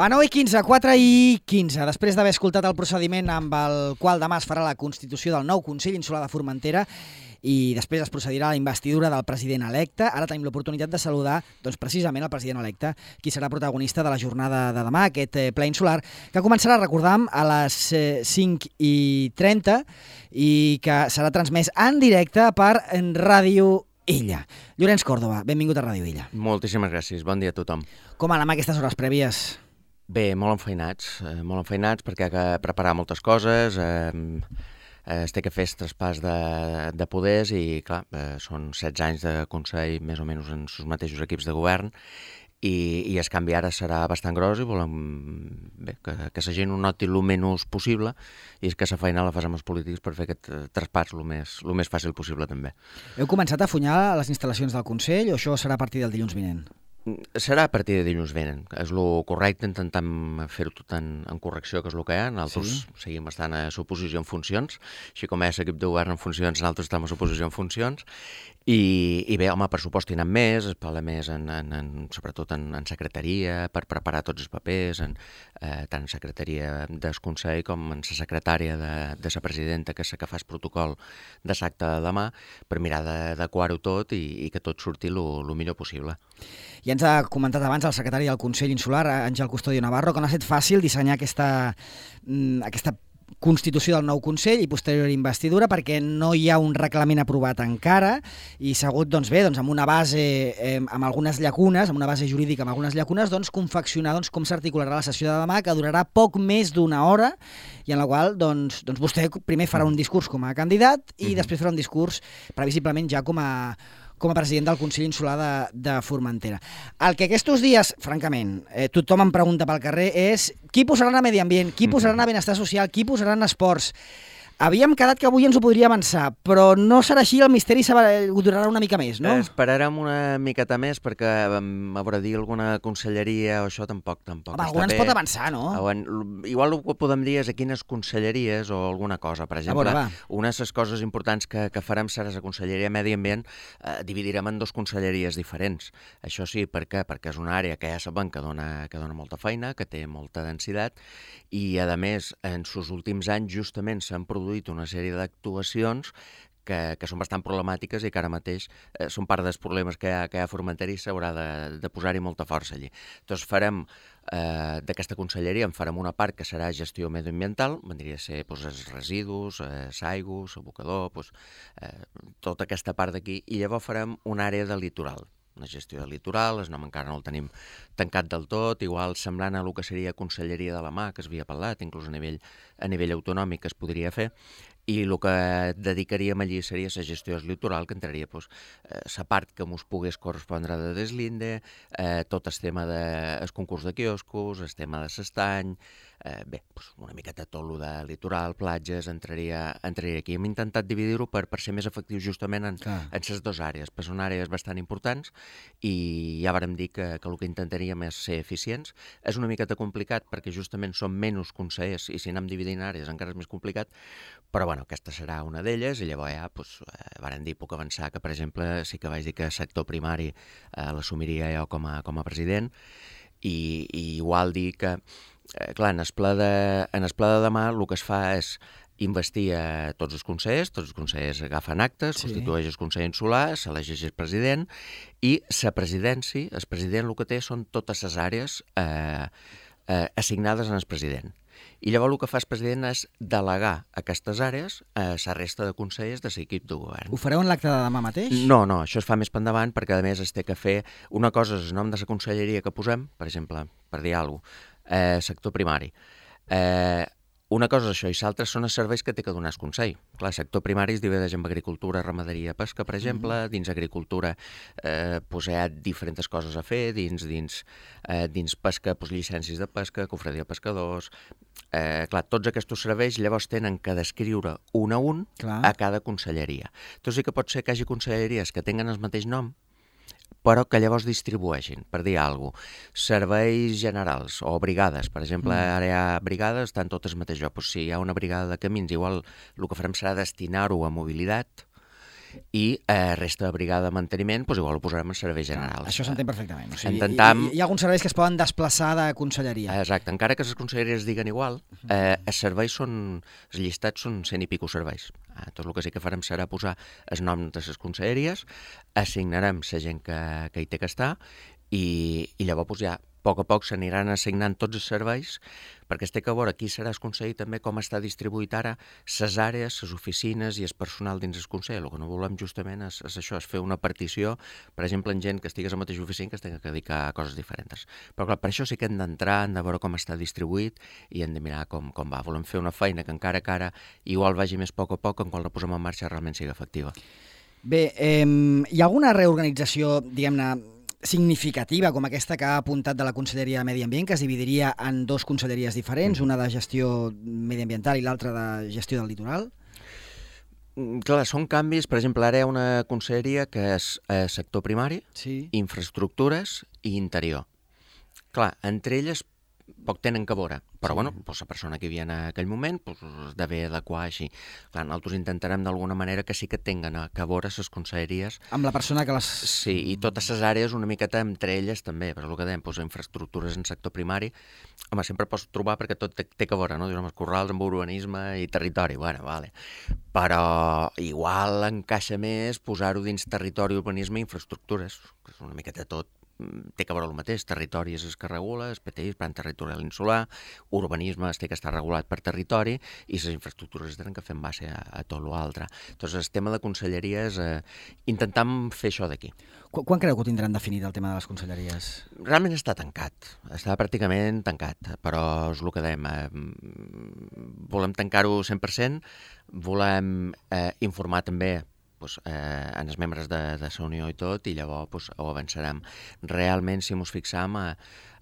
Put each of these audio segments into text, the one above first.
Va, 9:15, 4:15. Després d'haver escoltat el procediment amb el qual demà es farà la constitució del nou Consell Insular de Formentera i després es procedirà a la investidura del president electe, ara tenim l'oportunitat de saludar precisament el president electe, qui serà protagonista de la jornada de demà, aquest ple insular, que començarà, recordam, a les 5:30 i que serà transmès en directe per Ràdio Illa. Llorenç Còrdova, benvingut a Ràdio Illa. Moltíssimes gràcies, bon dia a tothom. Com anem aquestes hores prèvies? Bé, molt enfeinats perquè ha de preparar moltes coses, es té que fer traspàs de poders i, clar, són 16 anys de Consell més o menys en els mateixos equips de govern i el canvi ara serà bastant gros i volem que la gent ho noti el menys possible i és que la feina la fas amb els polítics per fer aquest traspàs el més fàcil possible també. Heu començat a afunyar les instal·lacions del Consell o això serà a partir del dilluns vinent? Serà a partir de dilluns vinent. És el correcte, intentem fer-ho tot en correcció, que és el que hi ha. Nosaltres seguim estant a l'oposició en funcions, així com és l'equip de govern en funcions, nosaltres estem a l'oposició en funcions. I bé, home, pressupost tenen més, es parla més sobretot en secretaria, per preparar tots els papers, tant en secretaria del Consell com en la secretària de la presidenta, que és la que fa el protocol de l'acte de demà, per mirar d'adequar-ho tot i que tot surti el millor possible. Ja ens ha comentat abans el secretari del Consell Insular, Àngel Custodio Navarro, que no ha estat fàcil dissenyar aquesta constitució del nou Consell i posterior investidura perquè no hi ha un reglament aprovat encara i s'ha hagut, amb una base amb algunes llacunes, amb una base jurídica amb algunes llacunes, confeccionar com s'articularà la sessió de demà, que durarà poc més d'una hora i en la qual vostè primer farà un discurs com a candidat i després farà un discurs previsiblement ja com a president del Consell Insular de Formentera. El que aquests dies, francament, tothom em pregunta pel carrer és qui posaran a Medi Ambient, qui posaran a Benestar Social, qui posaran a Esports. Havíem quedat que avui ens ho podria avançar, però no serà així, el misteri durarà una mica més, no? Esperarem una miqueta més perquè haurà de dir alguna conselleria o això tampoc. Home, alguna ens pot avançar, no? Igual el que podem dir és a quines conselleries o alguna cosa. Per exemple, una de les coses importants que farem serà la Conselleria de Medi Ambient, dividirem en 2 conselleries diferents. Això sí, per què? Perquè és una àrea que ja sabem que dona molta feina, que té molta densitat i, a més, en els últims anys justament s'han produït una sèrie d'actuacions que són bastant problemàtiques i que ara mateix són part dels problemes que hi ha a Formentera i s'haurà de posar-hi molta força allí. Doncs farem d'aquesta conselleria, en farem una part que serà gestió mediambiental, vendria a ser els residus, l'aigua, l'abocador, tota aquesta part d'aquí, i llavors farem una àrea de litoral. Una gestió del litoral, el nom encara no el tenim tancat del tot, igual semblant a el que seria Conselleria de la Mar, que es havia parlat, inclús a nivell autonòmic es podria fer, i el que dedicaríem allí seria la gestió del litoral, que entraria la part que ens pogués correspondre de Deslinde, tot el tema del concurs de quioscos, el tema de l'estany, una miqueta tot el de litoral, platges, entraria aquí. Hem intentat dividir-ho per ser més efectius justament en les 2 àrees, perquè són àrees bastant importants i ja vàrem dir que el que intentaríem és ser eficients. És una miqueta complicat perquè justament són menys consellers i si anem dividint àrees encara és més complicat, però aquesta serà una d'elles i llavors ja vàrem dir, puc avançar que, per exemple, sí que vaig dir que el sector primari l'assumiria jo com a president i igual dir que clar, en el ple de demà el que es fa és investir a tots els consellers agafen actes, constitueix el Consell Insular, s'elegeix el president i la presidència, el president el que té són totes les àrees assignades al president. I llavors el que fa el president és delegar aquestes àrees a la resta de consellers de l'equip de govern. Ho fareu en l'acte de demà mateix? No, això es fa més per endavant perquè a més es té que fer una cosa, és el nom de la conselleria que posem, per exemple, per dir alguna cosa, sector primari. Una cosa és això i l'altra són els serveis que té que donar el Consell. Clar, el sector primari es divideix en agricultura, ramaderia, pesca, per exemple. Dins agricultura hi ha diferents coses a fer. Dins pesca, llicències de pesca, cofradia de pescadors. Clar, tots aquests serveis llavors tenen que descriure un a un a cada conselleria. Doncs sí que pot ser que hi hagi conselleries que tinguen el mateix nom, però que llavors distribueixin, per dir alguna cosa, serveis generals o brigades. Per exemple, ara hi ha brigades, estan totes al mateix lloc. Si hi ha una brigada de camins, igual el que farem serà destinar-ho a mobilitat i resta de brigada de manteniment, doncs igual ho posarem en serveis generals. Això s'entén perfectament. O sigui, Intentam... hi ha alguns serveis que es poden desplaçar de conselleria. Exacte, encara que les conselleries diguen igual, els serveis els llistats són 100 i pico serveis. Tot el que sí que farem serà posar els noms de les conselleries, assignarem la gent que hi té que estar i llavors ja a poc s'aniran assignant tots els serveis, perquè es té que veure qui serà el Consell també com està distribuït ara les àrees, les oficines i el personal dins el Consell. El que no volem justament és això, és fer una partició, per exemple, en gent que estigués a la mateixa oficina que es tingui que dedicar a coses diferents. Però clar, per això sí que hem d'entrar, hem de veure com està distribuït i hem de mirar com va. Volem fer una feina que encara que ara igual vagi més a poc, quan la posem en marxa realment sigui efectiva. Bé, hi ha alguna reorganització, diguem-ne, significativa com aquesta que ha apuntat de la Conselleria de Medi Ambient, que es dividiria en dues conselleries diferents, una de gestió mediambiental i l'altra de gestió del litoral? Clar, són canvis. Per exemple, ara hi ha una conselleria que és sector primari, infraestructures i interior. Clar, entre elles poc tenen que veure, però bueno, la persona que hi havia en aquell moment es d'haver adequar així. Clar, nosaltres intentarem d'alguna manera que sí que tinguen que veure les conselleries. Amb la persona que les... Sí, i totes les àrees una miqueta entre elles també, però el que dèiem, infraestructures en sector primari, home, sempre pots trobar perquè tot té que veure, no? Dius, corrals amb urbanisme i territori, bueno, vale. Però igual encaixa més posar-ho dins territori, urbanisme i infraestructures, que és una miqueta tot. Té que veure el mateix, territori és el que regula, el PTI, Plan Territorial Insular, urbanisme té que estar regulat per territori i les infraestructures tenen que fer en base a tot l'altre. Doncs el tema de conselleria és intentam fer això d'aquí. Quan creu que ho tindran definit el tema de les conselleries? Realment està tancat, està pràcticament tancat, però és el que dèiem, volem tancar-ho 100%, volem informar també en els membres de la Unió i tot, i llavors ho avançarem. Realment, si ens fixam,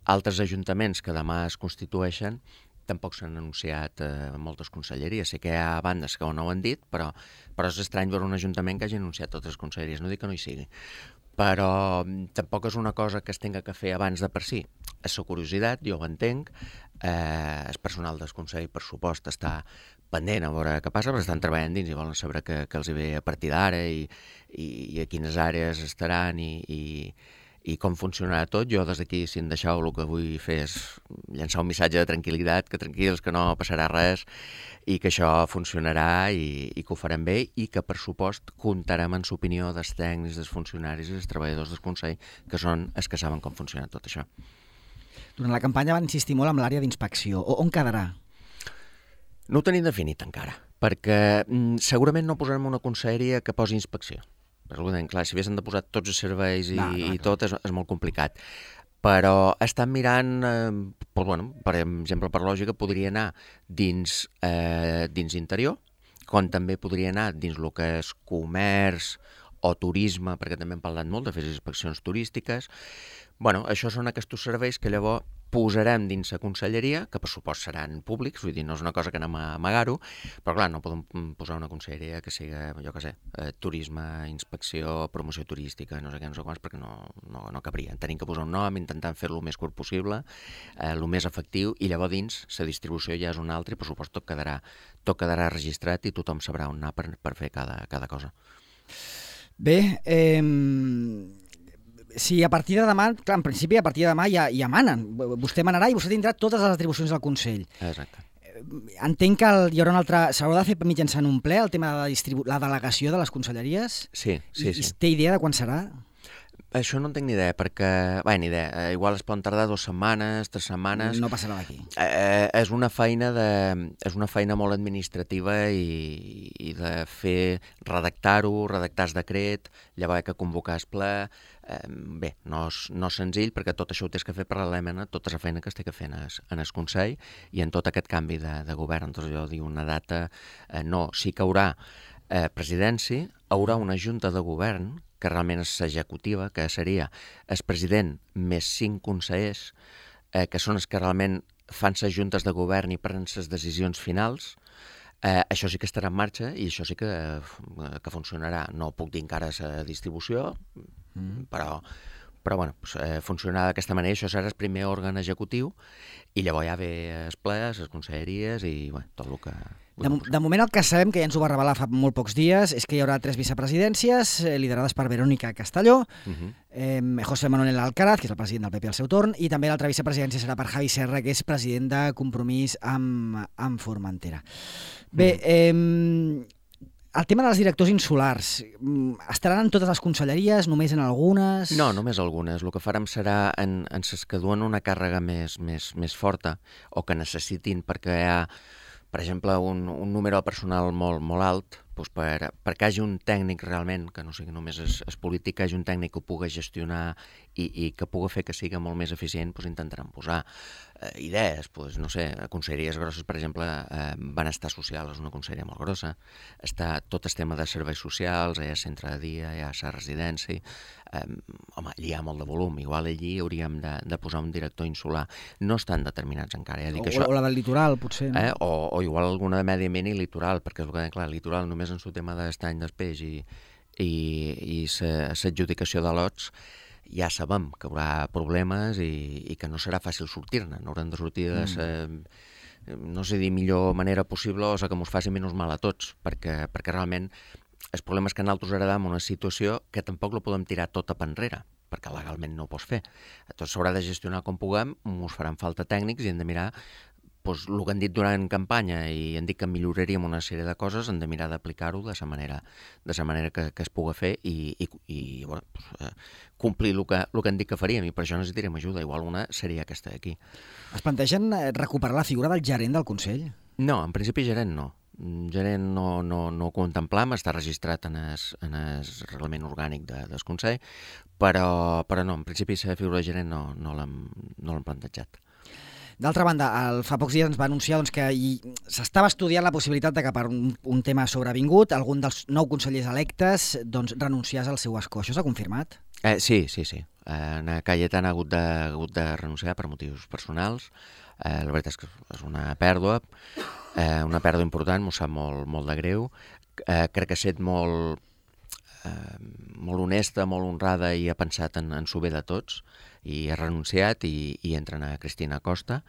altres ajuntaments que demà es constitueixen tampoc s'han anunciat moltes conselleries. Sé que hi ha bandes que no ho han dit, però és estrany veure un ajuntament que hagi anunciat totes les conselleries. No dic que no hi sigui, però tampoc és una cosa que es tinga que fer abans de per si. És la curiositat, jo ho entenc, el personal del Consell, per supost, està pendent a veure què passa, perquè estan treballant dins i volen saber què els ve a partir d'ara i a quines àrees estaran i com funcionarà tot. Jo des d'aquí, si em deixeu, el que vull fer és llançar un missatge de tranquil·litat, que tranquils, que no passarà res i que això funcionarà i que ho farem bé i que, per supost, comptarem en l'opinió dels tècnics, dels funcionaris i dels treballadors del Consell, que són els que saben com funciona tot això. Durant la campanya van insistir molt en l'àrea d'inspecció. On quedarà? No ho tenim definit encara, perquè segurament no posarem una conselleria que posi inspecció. Però, clar, si haguéssim de posar tots els serveis i tot és molt complicat. Però estan mirant, per exemple, per lògica, podria anar dins interior, com també podria anar dins el que és comerç o turisme, perquè també hem parlat molt de fer inspeccions turístiques. Bueno, això són aquests serveis que llavors posarem dins la conselleria, que per supost seran públics, vull dir, no és una cosa que anem a amagar-ho, però clar, no podem posar una conselleria que sigui, jo què sé, turisme, inspecció, promoció turística, no sé què, no sé quants, perquè no cabria. Tenim que posar un nom, intentant fer-lo el més curt possible, el més efectiu, i llavors dins la distribució ja és una altra i per supost tot quedarà registrat i tothom sabrà on anar per fer cada cosa. Bé, si a partir de demà, clar, en principi a partir de demà ja manen. Vostè manarà i vostè tindrà totes les atribucions del Consell. Exacte. Entenc que hi haurà un altre... S'haurà de fer mitjançant un ple, el tema de la delegació de les conselleries? Sí. I té idea de quan serà? Això no en tinc ni idea, perquè... Bé, ni idea. Igual es poden tardar 2 setmanes, 3 setmanes... No passarà d'aquí. És una feina molt administrativa i de fer redactar-ho, redactar el decret, llavors que convocar el ple... Bé, no és senzill perquè tot això ho tens que fer paral·lelament a tota la feina que es té que fer en el Consell i en tot aquest canvi de govern. Doncs jo dic una data... No, sí que hi haurà presidència, hi haurà una junta de govern que realment és executiva, que seria el president més 5 consellers, que són els que realment fan les juntes de govern i prenen les decisions finals. Això sí que estarà en marxa i això sí que funcionarà. No puc dir encara la distribució, però Però bueno, funcionarà d'aquesta manera. Això serà el primer òrgan executiu i llavors ja ve els plens, les conselleries i tot el que... De moment el que sabem, que ja ens ho va revelar fa molt pocs dies, és que hi haurà 3 vicepresidències liderades per Verónica Castelló, José Manuel Alcaraz, que és el president del PP al seu torn, i també l'altra vicepresidència serà per Javi Serra, que és president de Compromís amb Formentera. Bé, el tema dels directors insulars, estaran en totes les conselleries, només en algunes? No, només algunes. El que farem serà en les que duen una càrrega més forta o que necessitin perquè hi ha, per exemple, un número de personal molt alt, doncs perquè hi hagi un tècnic realment, que no sigui només és polític, que hi hagi un tècnic que ho pugui gestionar i que pugui fer que sigui molt més eficient, doncs intentarem posar idees, doncs, no sé, conselleries grosses, per exemple, benestar social és una conselleria molt grossa, està tot el tema de serveis socials, hi ha centre de dia, hi ha la residència, home, allí hi ha molt de volum, igual allí hauríem de posar un director insular, no estan determinats encara. O la del litoral, potser. No? O igual alguna de medi ambient i litoral, perquè és el que clar, el litoral només en el tema d'estany del peix i l'adjudicació de lots ja sabem que hi haurà problemes i que no serà fàcil sortir-ne, n'haurem de sortir de no sé dir millor manera possible o que ens faci menys mal a tots, perquè realment el problema és que nosaltres heredam una situació que tampoc la podem tirar tota per enrere, perquè legalment no ho pots fer. Tot s'haurà de gestionar com puguem, ens faran falta tècnics i hem de mirar doncs, el que han dit durant campanya i han dit que milloraríem una sèrie de coses, hem de mirar d'aplicar-ho de la manera que es pugui fer i bueno, doncs, complir el que han dit que faríem i per això necessitarem ajuda. Igual una seria aquesta d'aquí. Es plantegen recuperar la figura del gerent del Consell? No, en principi gerent no. Gerent no ho contemplam, està registrat en el reglament orgànic del Consell, però no, en principi la figura de gerent no l'hem plantejat. D'altra banda, fa pocs dies ens va anunciar que s'estava estudiant la possibilitat de que per un tema sobrevingut algun dels 9 consellers electes renunciés al seu escó. Això s'ha confirmat? Sí. En Cayetana ha hagut de renunciar per motius personals. La veritat és que és una pèrdua important, m'ho sap molt de greu. Crec que ha estat molt honesta, molt honrada i ha pensat en el bé de tots i ha renunciat i entra a Cristina Costa,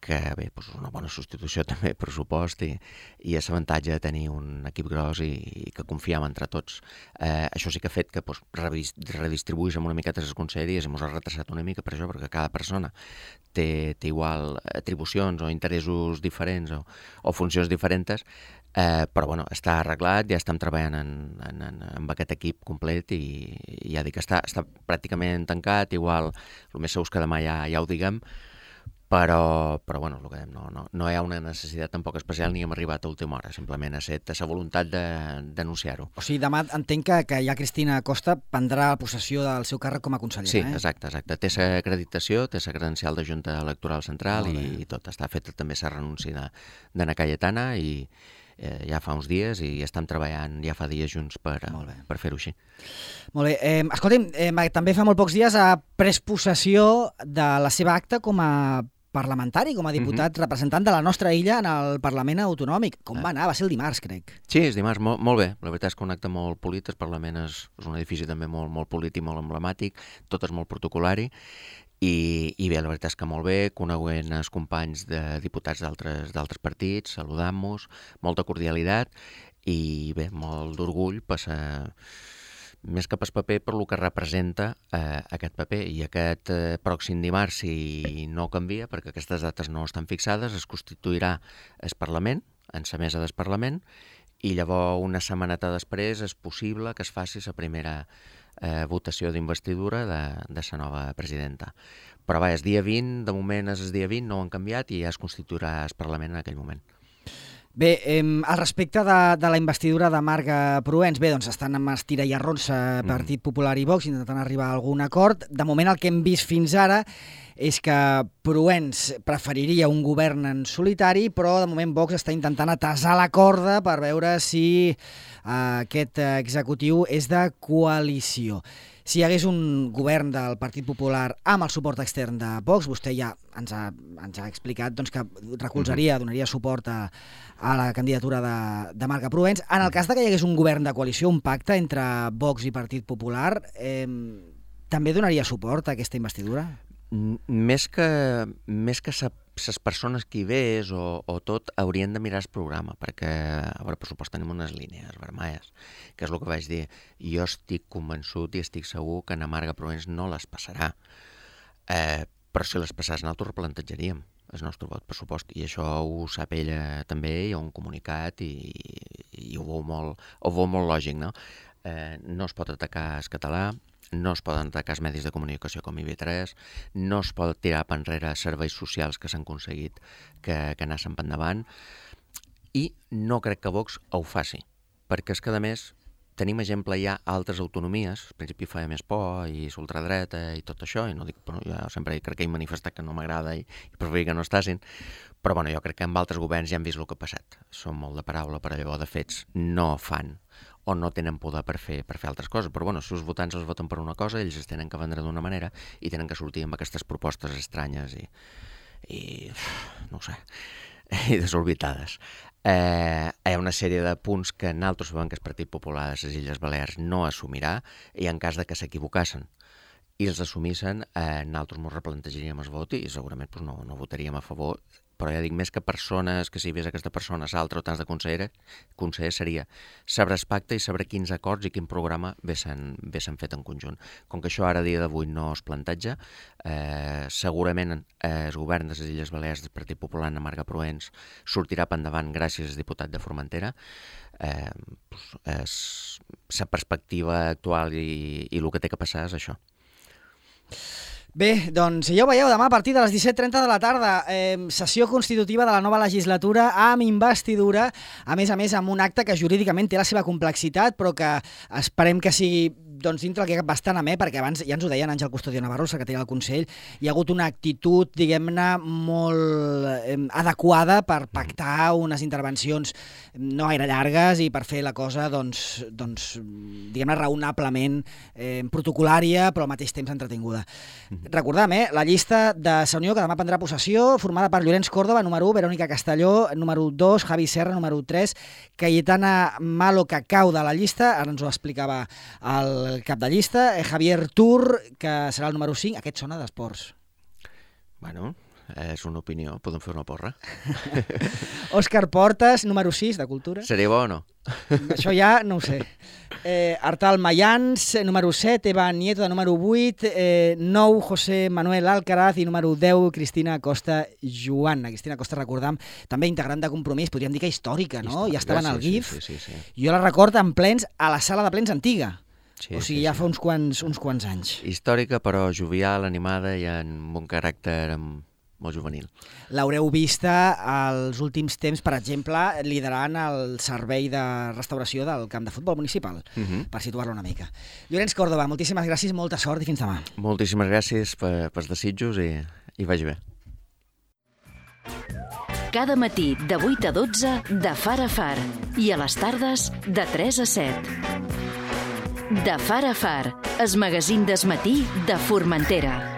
que bé, és una bona substitució també, pressupost, i és l'avantatge de tenir un equip gros i que confiem entre tots. Això sí que ha fet que redistribuïssin una miqueta les conselleries i ens ha retrasat una mica per això, perquè cada persona té igual atribucions o interessos diferents o funcions diferents, però bueno, està arreglat, ja estem treballant amb aquest equip complet i ja dic que està pràcticament tancat, igual el més segur és que demà ja ho diguem, però bueno, el que dèiem, no hi ha una necessitat tampoc especial ni hem arribat a última hora, simplement ha estat la voluntat d'anunciar-ho. O sigui, demà entenc que ja Cristina Costa prendrà possessió del seu càrrec com a consellera. Sí, exacte. Té l'acreditació, té la credencial de Junta Electoral Central i tot. Està feta també la renúncia d'Anna Cayetana i ja fa uns dies i estem treballant ja fa dies junts per fer-ho així. Molt bé. Escolti'm, també fa molt pocs dies ha pres possessió de la seva acta com a parlamentari, com a diputat representant de la nostra illa en el Parlament Autonòmic. Com va anar? Va ser el dimarts, crec. Sí, és dimarts, molt bé. La veritat és que un acte molt polit, el Parlament és un edifici també molt polit i molt emblemàtic, tot és molt protocolari, i bé, la veritat és que molt bé, coneguent els companys de diputats d'altres partits, saludant-nos, molta cordialitat i bé, molt d'orgull passar més que pas paper per lo que representa aquest paper. I aquest pròxim dimarts, si no canvia, perquè aquestes dates no estan fixades, es constituirà el Parlament, en la mesa del Parlament, i llavors una setmaneta després és possible que es faci la primera votació d'investidura de la nova presidenta. Però va, és dia 20, de moment és el dia 20, no ho han canviat i ja es constituirà el Parlament en aquell moment. Bé, al respecte de la investidura de Marga Proens, bé, doncs estan amb estira i arronsa Partit Popular i Vox intentant arribar a algun acord. De moment el que hem vist fins ara és que Proens preferiria un govern en solitari, però de moment Vox està intentant atasar la corda per veure si aquest executiu és de coalició. Si hi hagués un govern del Partit Popular amb el suport extern de Vox, vostè ja ens ha explicat que recolzaria, donaria suport a la candidatura de Marga Proens. En el cas que hi hagués un govern de coalició, un pacte entre Vox i Partit Popular, també donaria suport a aquesta investidura? Més que les persones que hi ves o tot haurien de mirar el programa, perquè a veure, per supost tenim unes línies vermelles, que és el que vaig dir. Jo estic convençut i estic segur que en Marga Proens no les passarà, però si les passés nosaltres replantejaríem el nostre vot pressupost, i això ho sap ella també, hi ha un comunicat i ho veu molt lògic, no? No es pot atacar el català, no es poden atacar els medis de comunicació com IB3, no es pot tirar per enrere serveis socials que s'han aconseguit que anessin per endavant, i no crec que Vox ho faci, perquè és que, a més, tenim exemple ja a altres autonomies, al principi feia més por, i l'ultradreta i tot això, i no dic, però jo sempre crec que he manifestat que no m'agrada i preferir que no estàssim, però bueno, jo crec que amb altres governs ja hem vist el que ha passat. Són molt de paraula, però llavors de fets no fan o no tenen poder per fer altres coses. Però bueno, si els votants els voten per una cosa, ells es tenen que vendre d'una manera i tenen que sortir amb aquestes propostes estranyes i no ho sé, i desorbitades. Hi ha una sèrie de punts que nosaltres sabem que el Partit Popular de les Illes Balears no assumirà, i en cas de que s'equivocassen i els assumissin, nosaltres ens replantejaríem el vot i segurament no votaríem a favor. Però ja dic, més que persones, que si ves aquesta persona, l'altra o tants de conseller seria saber el pacte i saber quins acords i quin programa s'han fet en conjunt. Com que això ara, a dia d'avui, no es planteja, segurament el govern de les Illes Balears del Partit Popular en Marga Proens sortirà per endavant gràcies al diputat de Formentera. La perspectiva actual i el que té que passar és això. Bé, doncs ja ho veieu, demà a partir de les 17:30 de la tarda, sessió constitutiva de la nova legislatura amb investidura, a més amb un acte que jurídicament té la seva complexitat, però que esperem que sigui dintre el que cap bastant amè, perquè abans ja ens ho deien Àngel Custodio Navarro, el secretari del Consell, hi ha hagut una actitud, diguem-ne, molt adequada per pactar unes intervencions no gaire llargues i per fer la cosa, diguem-ne, raonablement protocolària, però al mateix temps entretinguda. Recordem, la llista de la Unió que demà prendrà possessió, formada per Llorenç Córdoba, número 1, Verònica Castelló, número 2, Javi Serra, número 3, Cayetana Malo Cacau de la llista, ara ens ho explicava el cap de llista, Javier Tur, que serà el número 5, aquest sona d'esports. Bueno, és una opinió, podem fer una porra. Òscar Portas, número 6, de Cultura. Seria bo o no? Això ja no ho sé. Artal Mayans, número 7, Eva Nieto, de número 8, 9, José Manuel Alcaraz, i número 10, Cristina Costa Joan. Cristina Costa, recordam, també integrant de Compromís, podríem dir que històrica, no? Ja estava en el GIF. Sí. Jo la recordo en plens a la sala de plens antiga. O sigui, ja fa uns quants anys. Històrica, però jovial, animada i amb un caràcter molt juvenil. L'haureu vista als últims temps, per exemple, liderant el servei de restauració del camp de futbol municipal, per situar-lo una mica. Llorenç Córdoba, moltíssimes gràcies, molta sort i fins demà. Moltíssimes gràcies pels desitjos i vagi bé. Cada matí de 8 a 12 de Far a Far i a les tardes de 3 a 7. De Far a Far, el magazín del matí de Formentera.